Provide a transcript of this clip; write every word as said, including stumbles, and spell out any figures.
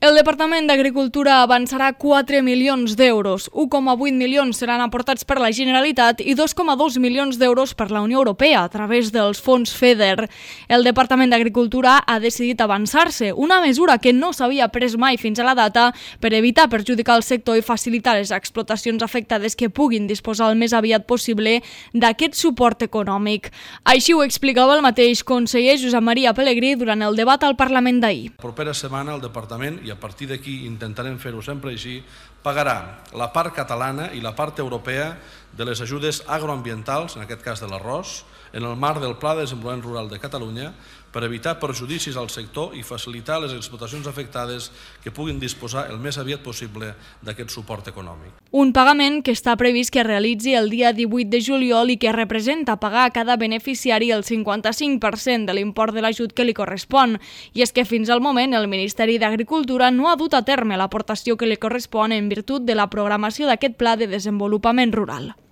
El Departament d'Agricultura avançarà quatre milions d'euros. un coma vuit milions seran aportats per la Generalitat i dos coma dos milions d'euros per la Unió Europea a través dels fons FEDER. El Departament d'Agricultura ha decidit avançar-se, una mesura que no s'havia pres mai fins a la data per evitar perjudicar el sector i facilitar les explotacions afectades que puguin disposar el més aviat possible d'aquest suport econòmic. Així ho explicava el mateix conseller Josep Maria Pelegrí durant el debat al Parlament d'ahir. La propera setmana el Departament, i a partir d'aquí intentarem fer-ho sempre així, pagarà la part catalana i la part europea de les ajudes agroambientals, en aquest cas de l'arròs, en el marc del Pla de Desenvolupament Rural de Catalunya, per evitar perjudicis al sector i facilitar les explotacions afectades que puguin disposar el més aviat possible d'aquest suport econòmic. Un pagament que està previst que es realitzi el dia divuit de juliol i que representa pagar a cada beneficiari el cinquanta-cinc per cent de l'import de l'ajut que li correspon. I és que fins al moment el Ministeri d'Agricultura no ha dut a terme l'aportació que li correspon en virtut de la programació d'aquest Pla de Desenvolupament Rural.